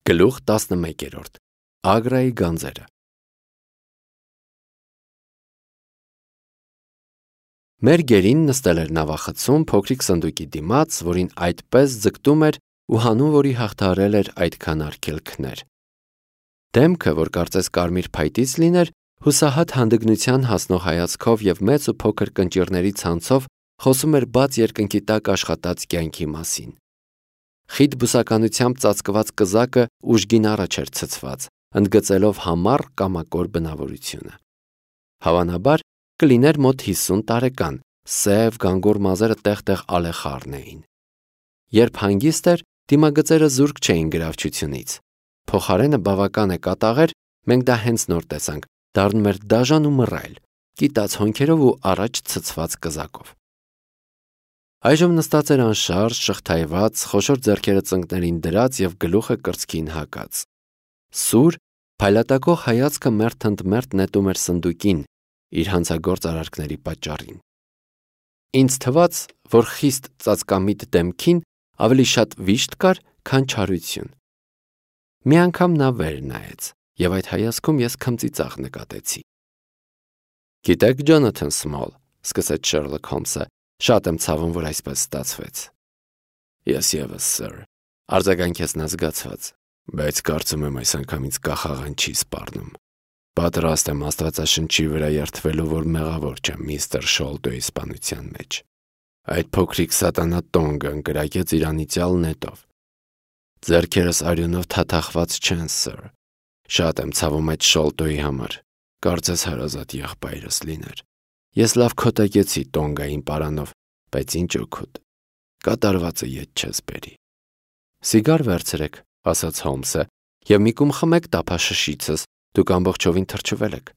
Գլուխ 11. Ագրայի գանձերը։ Մեր գերին նստել էր նավախցում փոքրիկ սնդուկի դիմաց, որին այդպես ձգտում էր ու հանուն որի հաղթահարել էր այդքան արգելքներ։ Դեմքը, որ կարծես կարմիր փայտից լիներ, հուսահատ հանդգնության հասնող հայացքով և մեծ ու փոքր կնճիռների ցանցով խոսում էր բաց երկնքի տակ աշխատած կյանքի մասին։ Խիտ բուսականությամբ ծածկված կզակը ուժգին առաջ էր ցցված, ընդգծելով համառ կամակոր բնավորությունը։ Հավանաբար կլիներ մոտ 50 տարեկան, սև գանգուր մազերը տեղ-տեղ ալեխառն էին։ Երբ հանգիստ էր, դիմագծերը զուրկ չէին գրավչությունից։ Փոխարենը բավական է կատաղեր, մենք դա հենց նոր տեսանք, դառնում էր դաժան ու մռայլ, կիտած հոնքերով ու առաջ ցցված կզակով։ Այժմ նստած էր անշարժ, շղթայված, խոշոր ձեռքերը ծնկներին դրած և գլուխը կրծքին հակած։ Սուր, փայլատակող հայացքը մերթընդմերթ նետում էր սնդուկին, իր հանցագործ արարքների պատճառին։ Ինձ թվաց, որ խիստ ծածկամիտ դեմքին ավելի շատ վիշտ կար, քան չարություն։ Մի անգամ նա վեր նայեց, և այդ հայացքում ես քմծիծաղ նկատեցի։ «Գիտեք, Ջոնաթան Սմոլ», սկսեց Շերլոք Հոլմսը, «շատ եմ ցավում, որ այսպես ստացվեց»։ Ես ևս, սըր, արձագանքեց նա զգացված, բայց կարծում եմ այս անգամից կախաղան չի սպառնում։ Պատրաստ եմ Աստվածաշնչի վրա երդվելու, որ մեղավոր չեմ միստր Շոլտոյի սպանության մեջ։ Այդ փոքրիկ սատանա Տոնգը ընկրակեց իր անիծյալ նետով։ Ձեռքերս արյունով թաթախված չեն, սըր։ Շատ եմ ցավում այդ Շոլտոյի համար, կարծես հարազատ եղբայրս լիներ։ Ես լավ քոտակեցի Տոնգային պարանով, բայց ինչ օգուտ, կատարվածը ետ չես բերի։ Սիգար վերցրեք, ասաց Հոլմսը, և մի կում խմեք տափաշշիցս, դուք ամբողջովին թրջվել եք։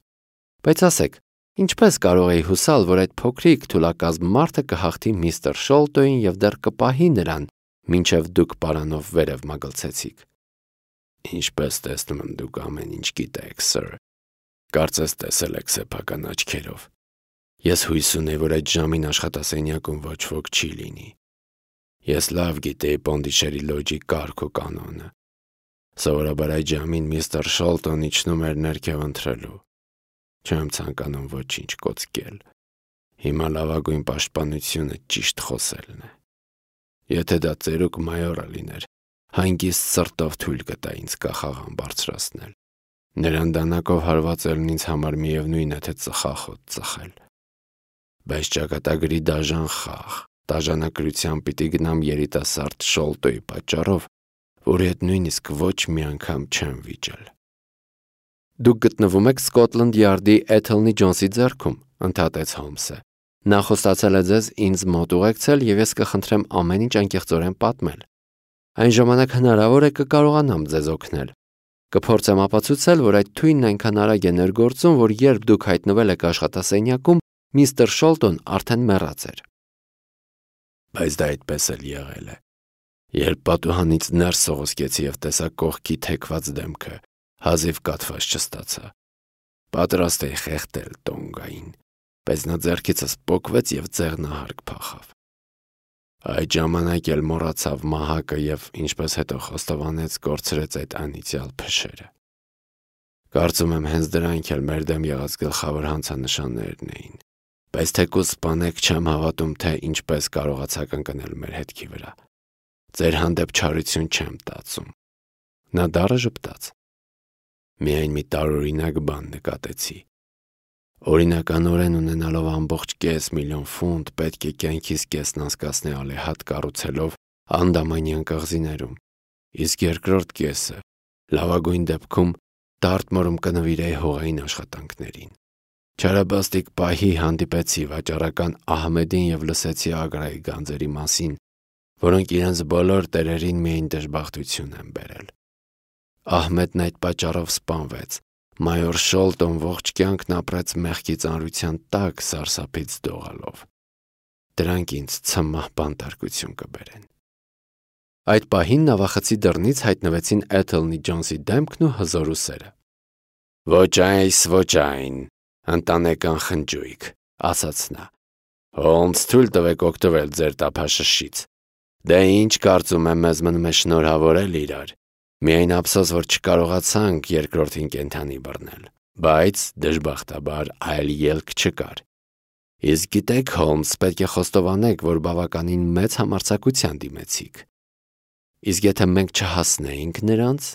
Բայց ասեք, ինչպես կարող էի հուսալ, որ այդ փոքրիկ թուլակազմ մարդը կհաղթի միստր Շոլտոյին և դեռ կպահի նրան, մինչև դուք պարանով վերև մագլցեցիք։ Ինչպես տեսնում եմ, դուք ամեն ինչ գիտեք, սըր։ Կարծես տեսել եք սեփական աչքերով։ Ես հույս ունեի, որ այդ ժամին աշխատասենյակում ոչ ոք չի լինի։ Ես լավ գիտեի Պոնդիշերի լոջի կարգ ու կանոնը։ Սովորաբար այդ ժամին միստր Շոլտոն իջնում էր ներքև ընթրելու։ Չեմ ցանկանում ոչինչ կոծկել։ Հիմա լավագույն պաշտպանությունը ճիշտ խոսելն է։ Եթե դա ծերուկ մայորը լիներ, հանգիստ սրտով թույլ կտա ինձ կախաղան բարձրացնել։ Նրան դանակով հարվածելն ինձ համար միևնույն է, թե ծխախոտ ծխել։ Բայց ճակատագրի դաժան խաղ, դաժանակրությամբ պիտի գնամ երիտասարդ Շոլտոյի պատճառով, որի հետ նույնիսկ ոչ մի անգամ չեմ վիճել։ Դուք գտնվում եք Սկոթլանդ Յարդի Էթելնի Ջոնսի ձեռքում, ընդհատեց Հոլմսը։ Նա խոստացել է ձեզ ինձ մոտ ուղեկցել և ես կխնդրեմ ամեն ինչ անկեղծորեն պատմել։ Այն ժամանակ հնարավոր է կկարողանամ ձեզ օգնել։ Կփորձեմ ապացուցել, որ այդ թույնն այնքան արագ է ներգործում, որ երբ դուք հայտնվել եք աշխատասենյակում, միստր Շոլտոն արդեն մեռած էր։ Բայց դա այդպես էլ եղել է։ Երբ պատուհանից ներս սողոսկեցի և տեսա կողքի թեքված դեմքը, հազիվ կաթված չստացա։ Պատրաստ էի խեղդել Տոնգային, բայց նա ձեռքիցս պոկվեց և ձեղնահարկ փախավ։ Այդ ժամանակ էլ մոռացավ մահակը և, ինչպես հետո խոստովանեց, կորցրեց այդ անիծյալ փշերը։ Կարծում եմ հենց դրանք էլ մեր դեմ եղած գլխավոր հանցանշաններն էին։ Բայց թեկուզ սպանեք, չեմ հավատում, թե ինչպես կարողացաք ընկնել մեր հետքի վրա։ Ձեր հանդեպ չարություն չեմ տածում։ Նա դառը ժպտաց։ Միայն մի տարօրինակ բան նկատեցի։ Օրինականորեն ունենալով ամբողջ $500,000 ֆունտ, պետք է կյանքիս կեսն անցկացնի ալեհատ կառուցելով Անդամանյան կղզիներում, իսկ երկրորդ կեսը լավագույն դեպքում Դարտմորում կնվիրեի հողային աշխատանքներին։ Չարաբաստիկ պահի հանդիպեցի վաճառական Ահմեդին և լսեցի Ագրայի գանձերի մասին, որոնք իրենց բոլոր տերերին միայն դժբախտություն են բերել։ Ահմեդն այդ պատճառով սպանվեց։ Մայոր Շոլտոն ողջ կյանքն ապրեց մեղքի ծանրության տակ սարսափից դողալով։ Դրանք ինձ ցմահ բանտարկություն կբերեն։ Այդ պահին նավախցի դռնից հայտնվեցին Էթելնի Ջոնսի դեմքն ու հզոր ուսերը։ «Ոչ այս, ոչ այն, ընտանեկան խնջույք», ասաց նա։ «Հոլմս, թույլ տվեք օգտվել ձեր տափաշշից։ Դե ինչ կարծում եմ, մեզ մնում է շնորհավորել իրար։ Միայն ափսոս, որ չկարողացանք երկրորդին կենդանի բռնել, բայց դժբախտաբար այլ ելք չկար։ Իսկ գիտեք, Հոլմս, պետք է խոստովանեք, որ բավականին մեծ համարձակության դիմեցիք։ Իսկ եթե մենք չհասնեինք նրանց,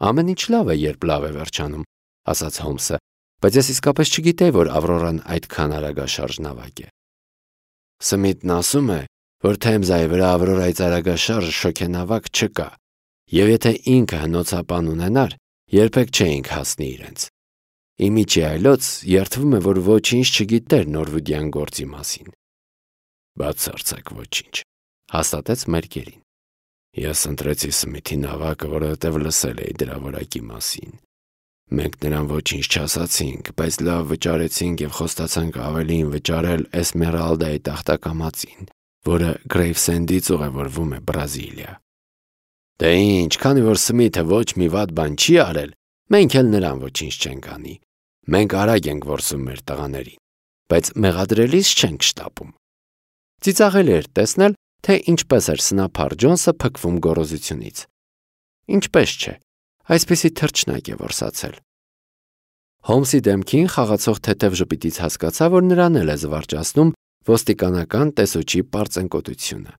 ամեն ինչ լավ է, երբ լավ է վերջանում, ասաց Հոլմսը, բայց ես իսկապես չգիտեի, որ Ավրորան այդքան արագաշարժ նավակ է։ Սմիթն ասում է, որ Թեմզայի վրա Ավրորայի արագաշարժ շոգենավակ չկա, եւ եթե ինքը հնոցապան ունենար, երբեք չէինք հասնի իրենց։ Իմիջի այլոց երդվում է, որ ոչինչ չգիտեր Նորվուդյան գործի մասին։ Բացարձակ ոչինչ, հաստատեց Մերկերին։ Ես ընտրեցի Սմիթի նավակը, որովհետև լսել էի դրա որակի մասին։ Մենք նրան ոչինչ չասացինք, բայց լավ վճարեցինք եւ խոստացանք ավելին վճարել Էսմերալդայի տախտակամածին, որը Գրեյվսենդից ուղևորվում է Բրազիլիա։ Դե ինչ, քանի որ Սմիթը ոչ մի վատ բան չի արել, մենք էլ նրան ոչինչ չենք անի։ Մենք արագ ենք որսում մեր տղաներին, բայց մեղադրելիս չենք շտապում։ Ծիծաղելի էր տեսնել, թե ինչպես էր սնափար Ջոնսը փքվում գոռոզությունից։ Ինչպես չէ, այսպիսի թռչնակ է որսացել։ Հոլմսի դեմքին խաղացող թեթև ժպիտից հասկացա, որ նրան էլ է զվարճացնում ոստիկանական տեսուչի պարծենկոտությունը։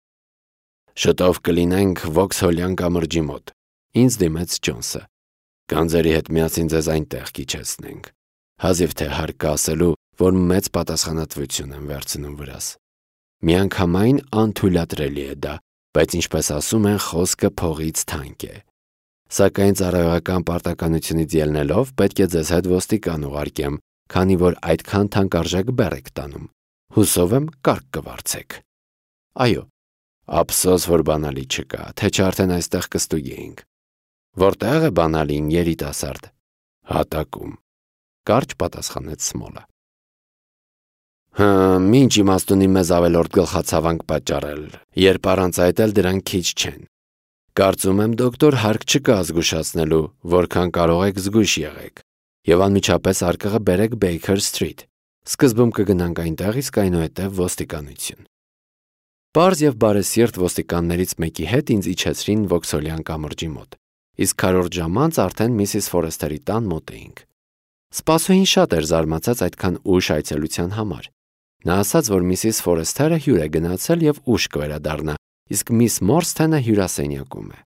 Շուտով կլինենք Վոքսհոլյան կամրջի մոտ, ինձ դիմեց Ջոնսը։ Գանձերի հետ միասին ձեզ այնտեղ կիջեցնենք։ Հազիվ թե հարկ կա ասելու, որ մեծ պատասխանատվություն եմ վերցնում վրաս։ Միանգամայն անթույլատրելի է դա, բայց ինչպես ասում են, խոսքը փողից թանկ է։ Սակայն ծառայողական պարտականությունից ելնելով պետք է ձեզ հետ ոստիկան ուղարկեմ, քանի որ այդքան թանկարժեք բեռ եք տանում։ Հուսով եմ կարգ կվարձեք։ Այո, ափսոս, որ բանալի չկա, թե չէ արդեն այստեղ կստուգեինք։ Որտեղ է բանալին, երիտասարդ։ Հատակում, կարճ պատասխանեց Սմոլը։ Մինչ իմաստունի մեզ ավելորդ գլխացավանք պատճառել, երբ առանց այդ էլ դրանք քիչ չեն։ Կարծում եմ, դոկտոր, հարկ չկա զգուշացնելու, որքան կարող եք զգույշ եղեք, եւ անմիջապես արկղը բերեք Baker Street։ Սկզբում կգնանք այնտեղ, իսկ այնուհետև ոստիկանություն։ Պարզ եւ բարեսիրտ ոստիկաններից մեկի հետ ինձ իջեցրին Վոքսհոլյան կամրջի մոտ, իսկ քառորդ ժամ անց արդեն Միսիս Ֆորեսթերի տան մոտ էինք։ Սպասուհին շատ էր զարմացած այդքան ուշ այցելության համար։ Նա ասաց, որ Միսիս Ֆորեսթերը հյուր է գնացել եւ ուշ կվերադառնա, իսկ Միս Մորսթենը հյուրասենյակում է։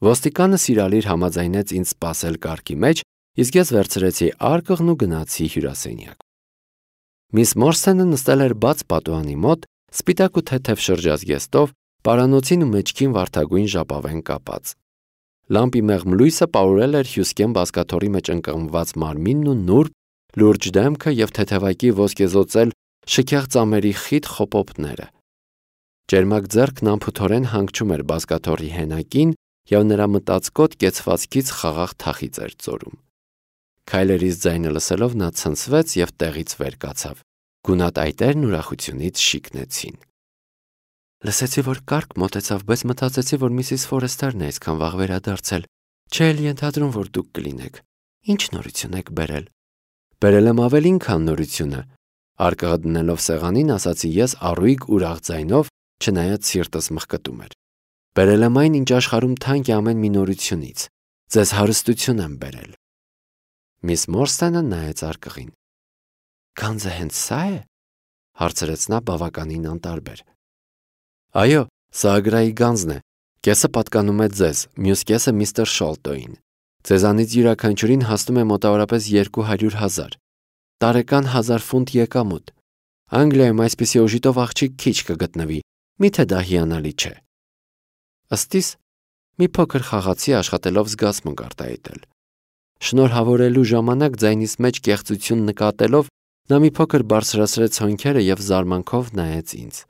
Ոստիկանը սիրալիր համաձայնեց ինձ սպասել կարգի մեջ, իսկ ես վերցրեցի արկղն ու գնացի հյուրասենյակ։ Միս Մորսթենը նստել էր բաց պատուհանի մոտ, սպիտակ ու թեթև շրջազգեստով, պարանոցին ու մեջքին վարդագույն ժապավեն կապած։ Լամպի մեղմ լույսը պարուրել էր հյուսկեն բազկաթոռի մեջ ընկղմված մարմինն ու նուրբ, լուրջ դեմքը եւ թեթևակի ոսկեզօծել շքեղ ծամերի խիտ խոպոպները։ Ջերմակ ձեռքն անփութորեն հանգչում էր բազկաթոռի հենակին եւ նրա մտածկոտ կեցվածքից խաղաղ թախիծ էր ծորում։ Քայլերից ձայնը լսելով նա ցնցվեց եւ տեղից վեր կացավ։ Գունատ այտերն ուրախությունից շիկնեցին։ Լսեցի, որ կարգ մոտեցավ, բայց մտածեցի, որ Միսիս Ֆորեսթերն է այսքան վաղ վերադարձել։ Չէ՞ էլ ենթադրում, որ դուք կլինեք։ Ինչ նորություն եք բերել։ Բերել եմ ավելին, քան նորությունը։ Արկղը դնելով սեղանին, ասացի ես առույգ ուրախ ձայնով, չնայած սիրտս մխկտում էր։ Բերել եմ այն, ինչ աշխարհում թանկ է ամեն մի նորությունից։ Ձեզ հարստություն եմ բերել։ Միս Մորսթենը նայեց արկղին։ Գանձը հենց սա է, հարցրեց նա բավականին անտարբեր։ Այո, սա Ագրայի գանձն է։ Կեսը պատկանում է ձեզ, մյուս կեսը միստր Շոլտոին։ Ձեզանից յուրաքանչյուրին հասնում է մոտավորապես 200,000, տարեկան 1000 ֆունտ եկամուտ։ Անգլիայում այսպիսի օժիտով աղջիկ քիչ կգտնվի, միթե դա հիանալի չէ։ Ըստիս մի փոքր խաղացի աշխատելով զգացմունք արտահայտել։ Շնորհավորելու ժամանակ ձայնիս մեջ կեղծություն նկատելով նա մի փոքր բարձրացրեց հոնքերը եւ զարմանքով նայեց ինձ։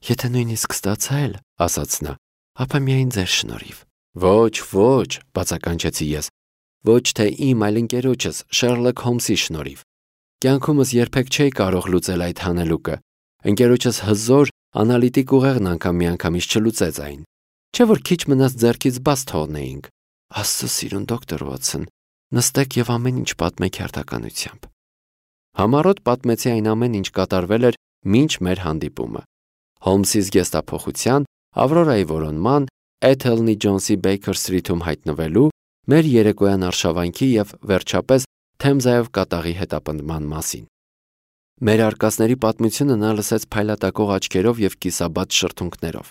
Եթե նույնիսկ ստացա էլ, ասաց նա, ապա միայն ձեր շնորհիվ։ Ոչ, բացականչեցի ես։ Ոչ թե իմ, այլ ընկերոջս Շերլոք Հոլմսի շնորհիվ։ Կյանքումս երբեք չէի կարող լուծել այդ հանելուկը։ Ընկերոջս հզոր, անալիտիկ ուղեղն անգամ միանգամից չլուծեց այն։ Չէ՞ որ քիչ մնաց ձեռքից բաց թողնեինք։ Աստծո սիրուն դոկտոր Վոթսոն, նստեք եւ ամեն ինչ պատմեք հերթականությամբ։ Համառոտ պատմեցի այն ամեն ինչ կատարվել էր մինչ մեր հանդիպումը։ Հոլմսի զգեստափոխության, Ավրորայի որոնման, Էթելնի Ջոնսի Բեյքեր Սթրիթում հայտնվելու, մեր երեկոյան արշավանքի եւ վերջապես Թեմզայով կատաղի հետապնդման մասին։ Մեր արկածների պատմությունը նա լսեց փայլատակող աչքերով եւ կիսաբաց շրթունքներով։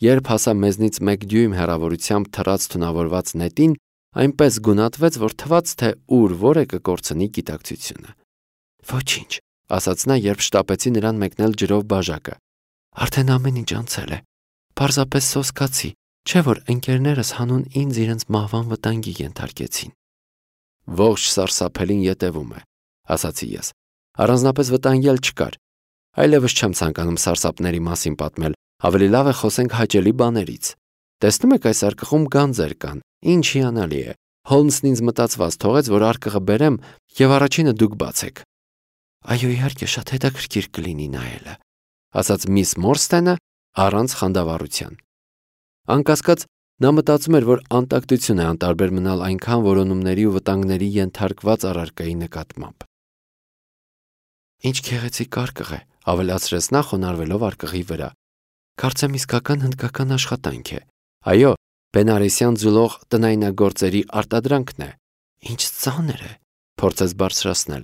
Երբ հասա մեզնից 1 դյույմ հեռավորությամբ թռած թունավորված նետին, այնպես գունատվեց, որ թվաց, թե ուր որ է կկորցնի գիտակցությունը։ «Ոչինչ», ասաց նա, երբ շտապեցի նրան մեկնել ջրով բաժակը։ «Արդեն ամեն ինչ անցել է։ Պարզապես սոսկացի, չէ՞ որ ընկերներս հանուն ինձ իրենց մահվան վտանգի ենթարկեցին»։ «Ողջ սարսափելին ետևում է», ասացի ես։ «Առանձնապես վտանգել չկար։ Այլևս չեմ ցանկանում սարսափների մասին պատմել, ավելի լավ է խոսենք հաճելի բաներից։ Տեսնում եք այս արկղում գանձեր կան, ինչ հիանալի է։ Հոլմսն ինձ մտածված թողեց, որ արկղը բերեմ եւ առաջինը դուք բացեք»։ «Այո, իհարկե, շատ հետաքրքիր կլինի նայելը», ասաց միս Մորստենը առանց խանդավառության։ Անկասկած, նա մտածում էր, որ անտակտություն է անտարբեր մնալ այնքան որոնումների ու վտանգների ենթարկված առարկայի նկատմամբ։ «Ինչ գեղեցիկ արկղ է», ավելացրեց նա խոնարհվելով արկղի վրա։ «Կարծեմ իսկական հնդկական աշխատանք է։ Այո, Բենարեսյան ձուլող տնայնագործերի արտադրանքն է»։ «Ինչ ծանր է», փորձեց բարձրացնել։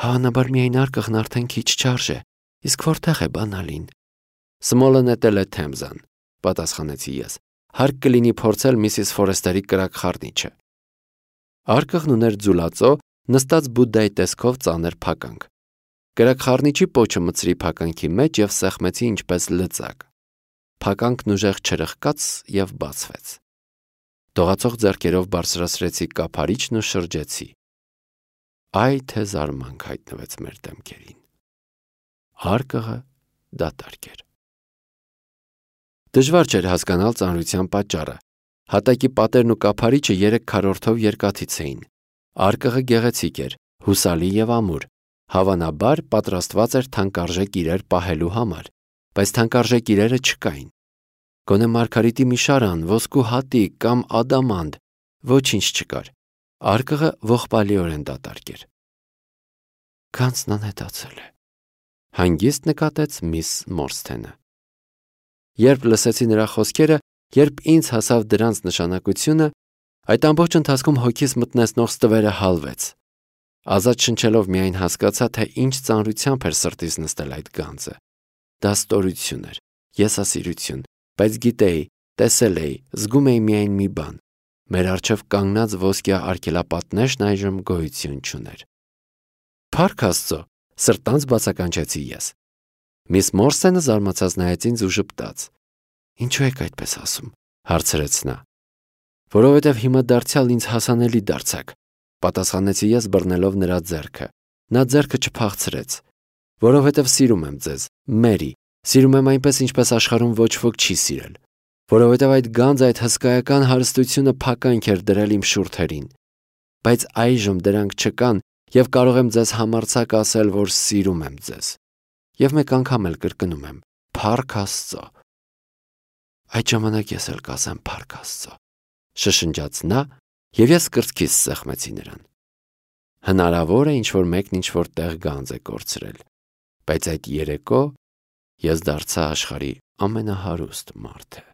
«Հավանաբար միայն արկղն արդեն քիչ չարժե, իսկ որտեղ է բանալին»։ «Սմոլը նետել է Թեմզան», պատասխանեցի ես։ «Հարկ կլինի փորձել Միսիս Ֆորեստերի կրակ խառնիչը»։ Արկղն ուներ ձուլածո, նստած Բուդդայի տեսքով ծանր փականք։ Կրակ խառնիչի պոչը մտցրի փականքի մեջ եւ սեղմեցի ինչպես լծակ։ Փականքն ուժեղ չրխկաց եւ բացվեց։ Դողացող ձեռքերով բարձրացրեցի կափարիչն ու շրջեցի։ Այ թե զարմանք հայտնվեց մեր դեմքերին։ Արկղը դատարկ էր։ Դժվար չէր հասկանալ ծանրության պատճառը։ Հատակի պատերն ու կափարիչը 3 քառորդով երկաթից էին։ Արկղը գեղեցիկ էր, հուսալի եւ ամուր։ Հավանաբար պատրաստված էր թանկարժեք իրեր պահելու համար, բայց թանկարժեք իրերը չկային։ Գոնե մարգարիտի մի շարան, ոսկու հատիկ կամ ադամանդ, ոչինչ չկար։ Արկղը ողբալիորեն դատարկ էր։ «Գանձն անհետացել է», հանգիստ նկատեց միս Մորստենը։ Երբ լսեցի նրա խոսքերը, երբ ինձ հասավ դրանց նշանակությունը, այդ ամբողջ ընթացքում հոգիս մտնեցնող ստվերը հալվեց։ Ազատ շնչելով միայն հասկացա, թե ինչ ծանրությամբ էր սրտիս նստել այդ գանձը։ Դա ստորություն էր, եսասիրություն, բայց գիտեի, տեսել էի, զգում էի միայն մի բան. մեր առջև կանգնած ոսկյա արգելապատնեշն այժմ գոյություն չուներ։ «Փառք Աստծո», սրտանց բացականչեցի ես։ Միս Մորստենը զարմացած նայեց ինձ ու ժպտաց։ «Ինչու եք այդպես ասում», հարցրեց նա։ «Որովհետև հիմա դարձյալ ինձ հասանելի դարձաք», պատասխանեցի ես բռնելով նրա ձեռքը։ Նա ձեռքը չփախցրեց։ «Որովհետև սիրում եմ ձեզ, Մերի, սիրում եմ այնպես, ինչպես աշխարհում ոչ ոք չի սիրել։ Որովհետև այդ գանձը, այդ հսկայական հարստությունը փականք էր դրել իմ շուրթերին։ Բայց այժմ դրանք չկան եւ կարող եմ ձեզ համարձակ ասել, որ սիրում եմ ձեզ։ Եվ մեկ անգամ էլ կրկնում եմ. Փառք Աստծո»։ «Այդ ժամանակ ես էլ կասեմ Փառք Աստծո», շշնջաց նա, եւ ես կրծքիս սեղմեցի նրան։ Հնարավոր է ինչ-որ մեկն ինչ-որ տեղ գանձ է կորցրել, բայց այդ երեկո ես դարձա աշխարհի ամենահարուստ մարդը։